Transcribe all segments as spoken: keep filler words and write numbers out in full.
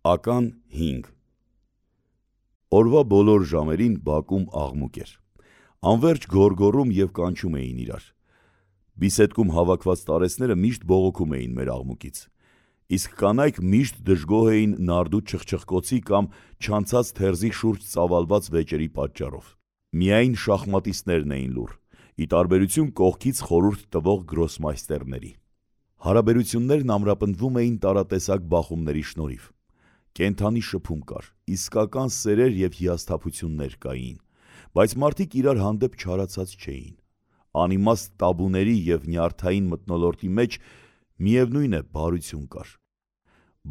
Ական հինգ Օրվա բոլոր ժամերին բակում աղմուկ էր, անվերջ գոռգոռում և կանչում էին իրար, բիսեդկում հավաքված տարեցները միշտ բողոքում էին մեր աղմուկից, իսկ կանայք միշտ դժգոհ էին նարդու չխչխկոցի կամ չանցած թերզի շուրջ ծավալված վեճերի պատճառով, միայն շախմատիստներն էին լուռ, ի տարբերություն կողքից խորհուրդ տվող գրոսմայստերների, հարաբերություններն ամրապնդվում էին տարատեսակ բախումների շնորհիվ, կենդանի շփում կար, իսկական սերեր և հիասթափություններ կային, բայց մարդիկ իրար հանդեպ չարացած չէին, անիմաստ տաբուների և նյարդային մթնոլորտի մեջ միևնույն է բարություն կար,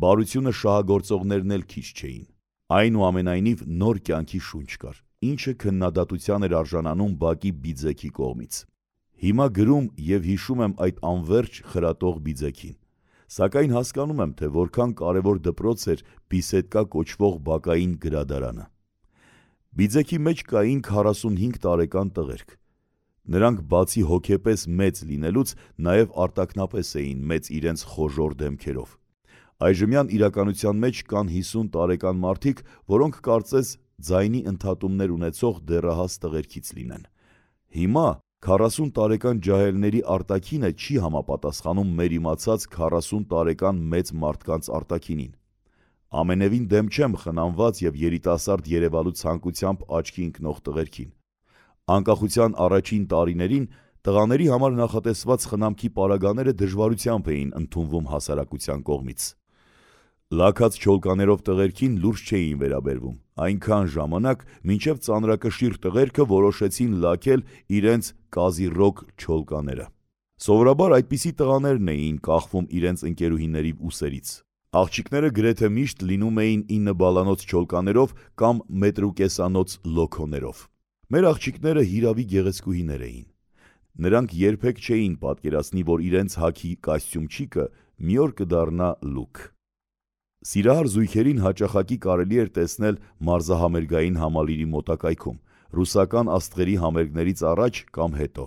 բարությունը շահագործողներն էլ քիչ չէին, այնուամենայնիվ նոր կյանքի շունչ կար, ինչը քննադատության էր արժանանում բակի բիձեքի կողմից, հիմա գրում և հիշում եմ այդ անվերջ խրատող բիձեքին, սակայն հասկանում եմ, թե որքան կարևոր դպրոց էր բիսեդկա կոչվող բակային գրադարանը, բիձեքի մեջ կային քառասունհինգ տարեկան տղերք, նրանք բացի հոգեպես մեծ լինելուց նաև արտաքնապես էին մեծ իրենց խոժոռ դեմքերով, այժմյան իրականության մեջ կան հիսուն տարեկան մարդիկ, որոնք կարծես ձայնի ընդհատումներ ունեցող դեռահաս տղերքից լինեն, հիմա քառասուն տարեկան ջահելների արտաքինը չի համապատասխանում մեր իմացած քառասուն տարեկան մեծ մարդկանց արտաքինին, ամենևին դեմ չեմ խնամված և երիտասարդ երևալու ցանկությամբ աչքի ընկնող տղերքին, անկախության առաջին տարիներին տղաների համար նախատեսված խնամքի պարագաները դժվարությամբ էին ընդունվում հասարակության կողմից, լաքած չոլկաներով տղերքին լուրջ չէին վերաբերվում, այնքան ժամանակ, մինչև ծանրակշիռ տղերքը որոշեցին լաքել իրենց կազիռոկ չոլկաները, սովորաբար այդպիսի տղաներն էին կախվում իրենց ընկերուհիների ուսերից, աղջիկները գրեթե միշտ լինում էին ինը բալանոց չոլկաներով կամ մետրուկեսանոց լոքոներով, մեր աղջիկները հիրավի գեղեցկուհիներ էին, նրանք երբեք չէին պատկերացնի, որ իրենց հագի կոստյումչիկը մի օր կդառնա լուք, սիրահար զույգերին հաճախակի կարելի էր տեսնել մարզահամերգային համալիրի մոտակայքում, ռուսական աստղերի համերգներից առաջ կամ հետո,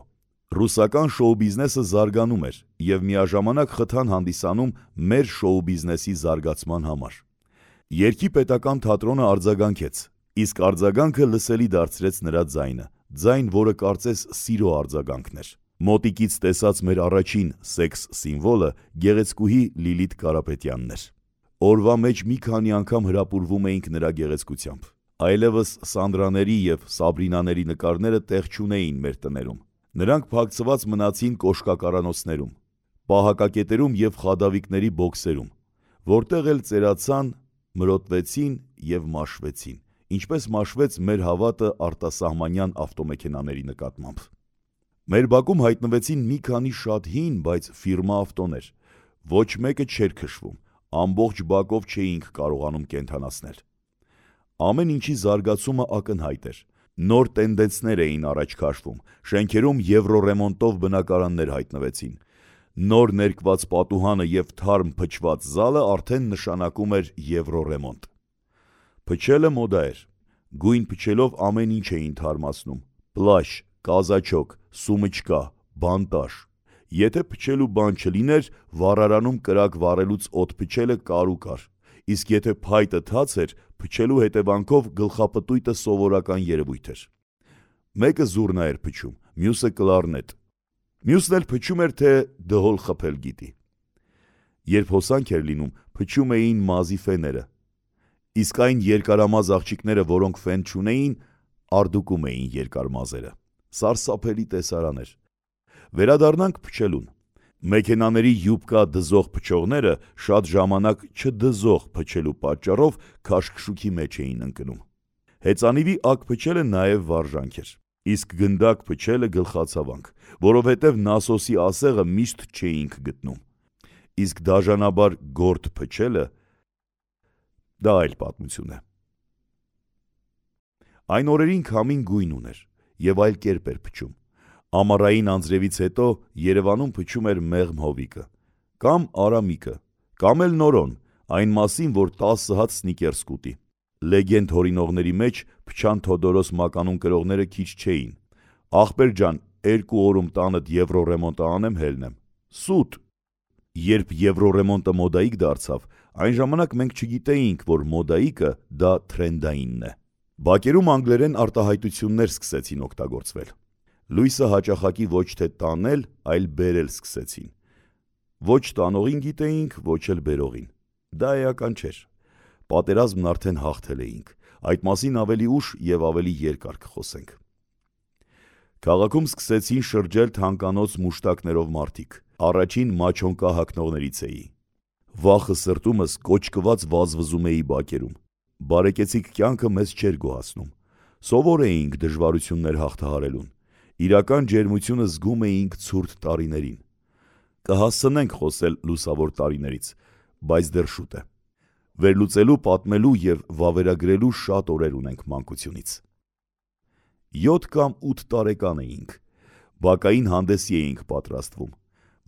ռուսական շոու բիզնեսը զարգանում էր և միաժամանակ խթան հանդիսանում մեր շոու բիզնեսի զարգացման համար, երգի պետական թատրոնը արձագանքեց, իսկ արձագանքը լսելի դարձրեց նրա ձայնը, ձայն, որը կարծես սիրո արձագանքն էր, մոտիկից տեսած մեր առաջին սեքս սիմվոլը գեղեցկուհի Լիլիթ Կարապետյանն էր, օրվա մեջ մի քանի անգամ հրապուրվում էինք նրա գեղեցկությամբ, այլևս Սանդրաների և Սաբրինաների նկարները տեղ չունեին մեր տներում, նրանք փակցված մնացին կոշկակարանոցներում, պահակակետերում և խադավիկների բոքսերում, որտեղ էլ ծերացան, մրոտվեցին և մաշվեցին, ինչպես մաշվեց մեր հավատը արտասահմանյան ավտոմեքենաների նկատմամբ, մեր բակում հայտնվեցին մի քանի շատ հին, բայց ֆիրմա ավտոներ, ոչ մեկը չէր քշվում, ամբողջ բակով չէինք կարողանում կենդանացնել, ամեն ինչի զարգացումը ակնհայտ էր, նոր տենդեցներ էին առաջ քաշվում, շենքերում եվրոռեմոնտով բնակարաններ հայտնվեցին, նոր ներկված պատուհանը և թարմ փչված զալը արդեն նշանակում էր եվրոռեմոնտ, փչելը մոդա էր, գույն փչելով ամեն ինչ էին թարմացնում, պլաշ, կազաչոկ, սումիչկա, բանտաշ, եթե փչելու բան չլիներ, վառարանում կրակ վառելուց օդ փչելը կարու կար, իսկ եթե փայտը թաց էր, փչելու հետևանքով գլխապտույտը սովորական երևույթ էր, մեկը զուռնա էր փչում, մյուսը կլարնետ, մյուսն էլ փչում էր, թե դհոլ խփել գիտի, երբ հոսանք էր լինում, փչում էին մազի ֆեները, իսկ այն երկարամազ աղջիկները, որոնք ֆեն չունեին, արդուկում էին երկար մազերը, սարսափելի տեսարան էր, վերադառնանք փչելուն, մեքենաների յուբկա դզող փչողները շատ ժամանակ չդզող փչելու պատճառով քաշքշուքի մեջ էին ընկնում, հեծանիվի ակ փչելը նաև վարժանք էր, իսկ գնդակ փչելը գլխացավանք, որովհետև նասոսի ասեղը միշտ չէինք գտնում, իսկ դաժանաբար գորտ փչելը, դա այլ պատմություն է, այն օրերին քամին գույն ուներ և այլ կերպ էր փչում, ամառային անձրևից հետո Երևանում փչում էր մեղմ հովիկը, կամ արամիկը, կամ էլ նորոն, այն մասին, որ տասը հատ սնիկերս կուտի, լեգենդ հորինողների մեջ փչան Թոդորոս մականուն կրողները քիչ չէին, ախպեր ջան, երկու օրում տանդ եվրոռեմոնտը անեմ հելնեմ, սուտ, Երբ եվրոռեմոնտը մոդայիկ դարձավ, այն ժամանակ մենք չգիտեինք, որ մոդայիկը դա թրենդայինն է։ Բակերում անգլերեն արտահայտություններ սկսեցին օգտագործվել։ Լույսը հաճախակի ոչ թե տանել, այլ բերել սկսեցին։ Ոչ տանողին գիտեինք, ոչ էլ բերողին։ Դա էական չէր։ Պատերազմն արդեն հաղթել էինք։ Այդ մասին ավելի ուշ եւ ավելի երկար կխոսենք։ Քաղաքում սկսեցին շրջել թանկանոց մուշտակներով մարդիկ։ Առաջին մաչոնկա հագնողներից էի։ Վախը սրտումս կոճկված վազվզում էի բակերում։ Բարեկեցիկ կյանքը մեզ չէր գոհացնում։ Սովոր էինք դժվարություններ հաղթահարելուն։ Իրական ջերմությունը զգում էինք ցուրտ տարիներին։ Կհասցնենք խոսել լուսավոր տարիներից, բայց դեռ շուտ է։ Վերլուծելու, պատմելու եւ վավերագրելու շատ օրեր ունենք մանկությունից։ յոթ կամ ութ տարեկան էինք։ Բակային հանդեսի էինք պատրաստվում։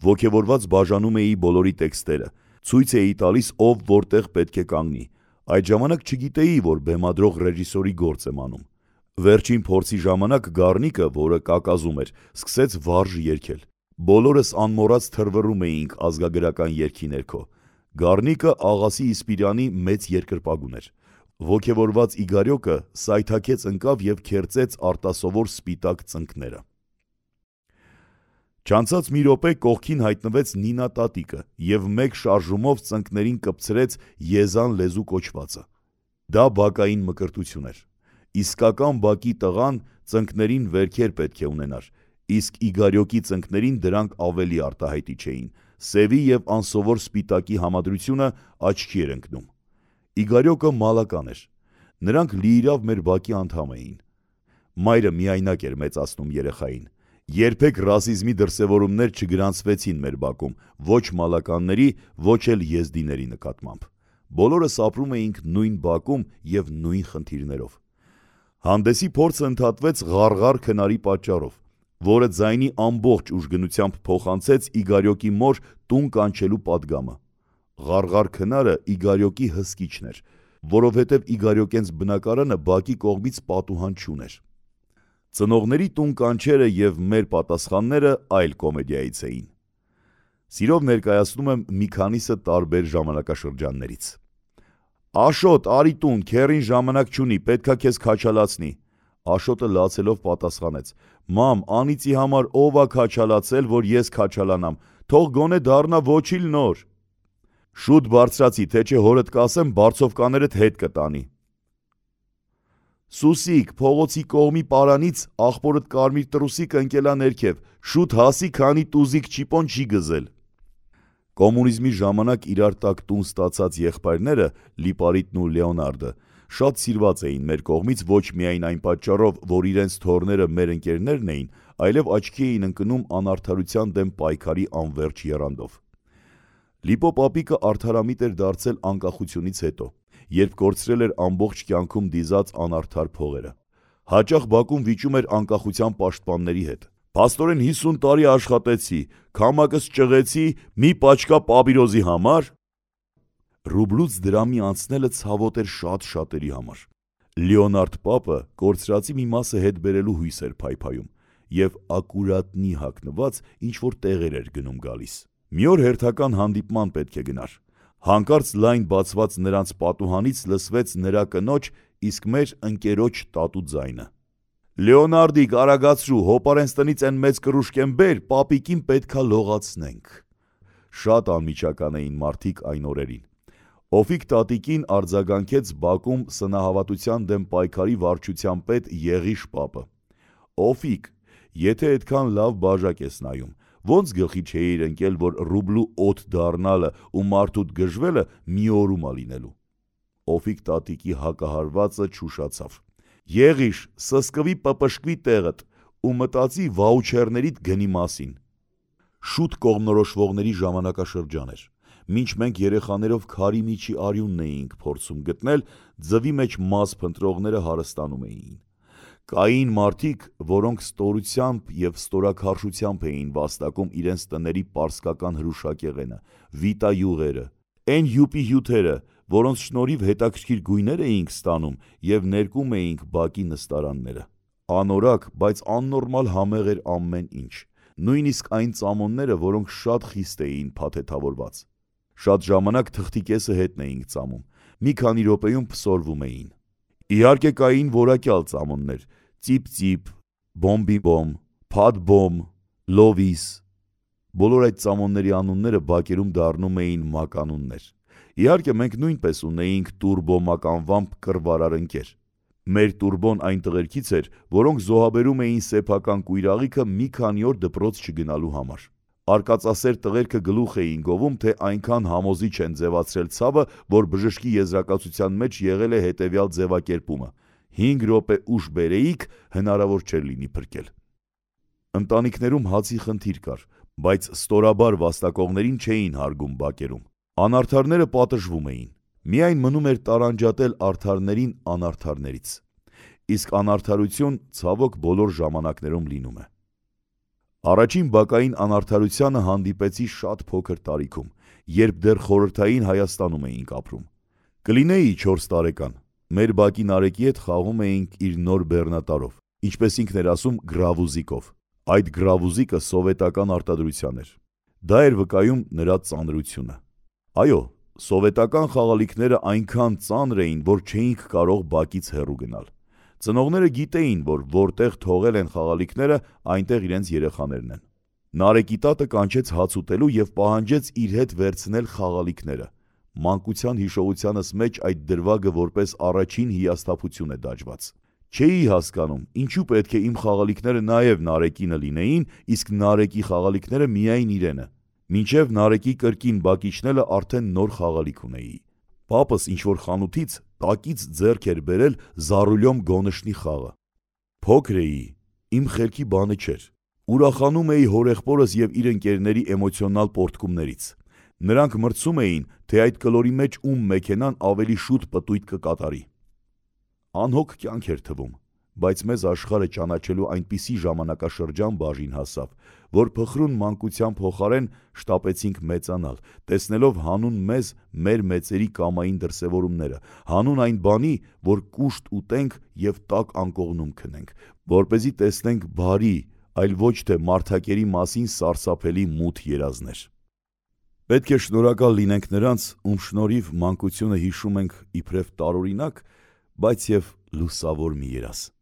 Ոգևորված բաժանում էի բոլորի տեքստերը, ցույց էի տալիս ով որտեղ պետք է կանգնի։ Այդ ժամանակ չգիտեի, որ բեմադրող ռեժիսորի գործ եմ անում։ Վերջին փորձի ժամանակ Գառնիկը, որը կակազում էր, սկսեց վարժ երգել։ Բոլորս անմոռաց թռվռում էինք ազգագրական երգի ներքո։ Գառնիկը աղասի Իսպիրյանի մեծ երկրպագուն էր։ Ոգևորված Իգարյոկը սայթաքեց ընկավ եւ քերծեց արտասովոր սպիտակ ծնկները։ Չանցած մի րոպե կողքին հայտնվեց Նինա տատիկը եւ մեկ շարժումով ծնկներին կպցրեց Եզան լեզու կոչվածը։ Դա բակային մկրտություն էր։ Իսկական բակի տղան ծնկներին վերքեր պետք է ունենար, իսկ Իգարյոկի ծնկներին դրանք ավելի արտահայտիչ էին։ Սևի եւ անսովոր սպիտակի համադրությունը աչքի էր ընկնում։ Իգարյոկը մալական էր։ Նրանք լիիրավ մեր բակի անդամ էին։ Մայրը միայնակ էր մեծացնում երեխային։ Երբեք ռասիզմի դրսևորումներ չգրանցվեցին մեր բակում, ոչ մալականների, ոչ էլ եզդիների նկատմամբ։ Բոլորս ապրում էինք նույն բակում եւ նույն խնդիրներով։ Հանդեսի փորձը ընդհատվեց ղարղար քնարի պատճառով, որը ձայնի ամբողջ ուժգնությամբ փոխանցեց Իգարյոկի մոր տուն կանչելու պատգամը։ Ղարղար քնարը Իգարյոկի հսկիչն էր, որովհետև Իգարյոկենց բնակարանը բակի կողմից պատուհան չուներ։ Ծնողների տուն կանչերը եւ մեր պատասխանները այլ կոմեդիայից էին։ Սիրով ներկայացնում եմ մի քանիսը տարբեր ժամանակաշրջաններից։ Աշոտ, արի տուն, քեռին ժամանակ չունի, պետքա քեզ քաչալացնի։ Աշոտը լացելով պատասխանեց. Մամ, անիծի համար ով ա քաչալացել, որ ես քաչալանամ, թող գոնե դառնա ոչիլ նոր։ Շուտ բարձրացի, թե չէ հորդ կասեմ, բարձովկաներդ հետ կտանի։ Սուսիկ, փողոցի կողմի պարանից աղբորդ կարմիր տրուսիկ ընկելա ներքև, շուտ հասի, քանի տուզիկ չիպոն չի գզել։ Կոմունիզմի ժամանակ իրար տակ տուն ստացած եղբայրները, Լիպարիտն ու Լեոնարդը, շատ սիրված էին մեր կողմից ոչ միայն այն պատճառով, որ իրենց թոռները մեր ընկերներն էին, այլև աչքի էին ընկնում անարդարության դեմ պայքարի անվերջ եռանդով։ Լիպո պապիկը արդարամիտ էր դարձել անկախությունից հետո, երբ կորցրել էր ամբողջ կյանքում դիզած անարդար փողերը։ Հաճախ բակում վիճում էր անկախության պաշտպանների հետ։ Փաստորեն հիսուն տարի աշխատեցի, քամակս ճղեցի մի պաչկա պապիրոզի համար։ Ռուբլուց դրամի անցնելը ցավոտ էր շատ շատերի համար։ Լեոնարդ պապը կորցրածի մի մասը հետ բերելու հույս էր փայփայում եւ ակուրատնի հագնված ինչ-որ տեղեր էր գնում գալիս։ Մի օր հերթական հանդիպման պետք է գնար։ Հանկարծ լայն բացված նրանց պատուհանից լսվեց նրա կնոջ, իսկ մեր ընկերոջ տատու ձայնը։ Լեոնարդիկ, արագացրու, հոպարենց տնից են մեծ կռուշկեն բեր, պապիկին պետքա լողացնենք։ Շատ անմիջական էին մարդիկ այն օրերին։ Օֆիկ տատիկին արձագանքեց բակում սնահավատության դեմ պայքարի վարչության պետ Եղիշ պապը։ Օֆիկ, եթե այդքան լավ բաժակ ես նայում, ոնց գլխի չէիր ընկել, որ ռուբլու օդ դառնալը ու մարդուդ գժվելը մի օրում ա լինելու։ Օֆիկ տատիկի հակահարվածը չուշացավ։ Եղիշ, սսկվի պպշկվի տեղդ ու մտածի վաուչերներիդ գնի մասին։ Շուտ կողմնորոշվողների ժամանակաշրջան էր։ Մինչ մենք երեխաներով քարի միջի արյունն էինք փորձում գտնել, ձվի մեջ մազ փնտրողները հարստանում էին։ Կային մարդիկ, որոնք ստորությամբ եւ ստորաքարշությամբ էին վաստակում իրենց տների պարսկական հրուշակեղենը, վիտա յուղերը, այն յուպի հյութերը, որոնց շնորհիվ հետաքրքիր գույներ էինք ստանում եւ ներկում էինք բակի նստարանները։ Անորակ, բայց աննորմալ համեղ էր ամեն ինչ։ նույնիսկ այն ծամոնները, որոնք շատ խիստ էին փաթեթավորված։ Շատ ժամանակ թղթի կեսը հետն էինք ծամում, մի քանի րոպեում փսորվում էին։ Իհարկե կային որակյալ ծամոններ՝ ծիպ-ծիպ, բոմբի-բոմ, փաթ-բոմ, լովիս։ Բոլոր այդ ծամոնների անունները բակերում դառնում էին մականուններ։ Իհարկե մենք նույնպես ունեինք տուրբո-մականվամբ կռվարար ընկեր։ Մեր տուրբոն այն տղերքից էր, որոնք զոհաբերում էին սեփական կույրաղիքը մի քանի օր դպրոց չգնալու համար։ Արկածասեր տղերքը գլուխ էին գովում, թե այնքան համոզիչ են ձևացրել ցավը, որ բժշկի եզրակացության մեջ եղել է հետևյալ ձևակերպումը. հինգ րոպե ուշ բերեիք, հնարավոր չէր լինի փրկել։ Ընտանիքներում հացի խնդիր կար, բայց ստորաբար վաստակողներին չէին հարգում բակերում։ Անարդարները պատժվում էին։ Միայն մնում էր տարանջատել արդարներին անարդարներից։ Իսկ անարդարություն, ցավոք, բոլոր ժամանակներում լինում է։ Առաջին բակային անարդարությանը հանդիպեցի շատ փոքր տարիքում, երբ դեռ խորհրդային Հայաստանում էինք ապրում։ Կլինեի չորս տարեկան։ Մեր բակի Նարեկի հետ խաղում էինք իր նոր բեռնատարով, ինչպես ինքն էր ասում, գրավուզիկով։ Այդ գրավուզիկը սովետական արտադրության էր։ Դա էր վկայում նրա ծանրությունը։ Այո, սովետական խաղալիքները այնքան ծանր էին, որ չէինք կարող բակից հեռու գնալ։ Ծնողները գիտեին, որ որտեղ թողել են խաղալիքները, այնտեղ իրենց երեխաներն են։ Նարեկի տատը կանչեց հաց ուտելու և պահանջեց իր հետ վերցնել խաղալիքները։ Մանկության հիշողությանս մեջ այդ դրվագը որպես առաջին հիասթափություն է դաջված։ Չէի հասկանում, ինչու պետք է իմ խաղալիքները նաև Նարեկինը լինեին, իսկ Նարեկի խաղալիքները միայն իրենը։ Մինչև Նարեկի կրկին բակ իջնելը արդեն նոր խաղալիք ունեի։ Պապս ինչ-որ խանութից տակից ձեռք էր բերել Զարուլյոմ Գոնշնի խաղը։ Փոքր էի, իմ խելքի բանը չէր։ Ուրախանում էի հորեղբորս և իր ընկերների էմոցիոնալ պոռթկումներից։ Նրանք մրցում էին, թե այդ կլորի մեջ ում մեքենան ավելի շուտ պտույտ կկատարի։ Անհոգ կյանք էր թվում, բայց մեզ աշխարհը ճանաչելու այնպիսի ժամանակաշրջան բաժին հասավ, որ փխրուն մանկության փոխարեն շտապեցինք մեծանալ, տեսնելով հանուն մեզ մեր մեծերի կամային դրսևորումները, հանուն այն բանի, որ կուշտ ուտենք և տաք անկողնում քնենք, որպեսզի տեսնենք բարի, այլ ոչ թե մարդակերի մասին սարսափելի մութ երազներ։ Պետք է շնորհակալ լինենք նրանց, ում շնորհիվ մանկությունը հիշում ենք իբրև տարօրինակ, բայց և լուսավոր մի երազ։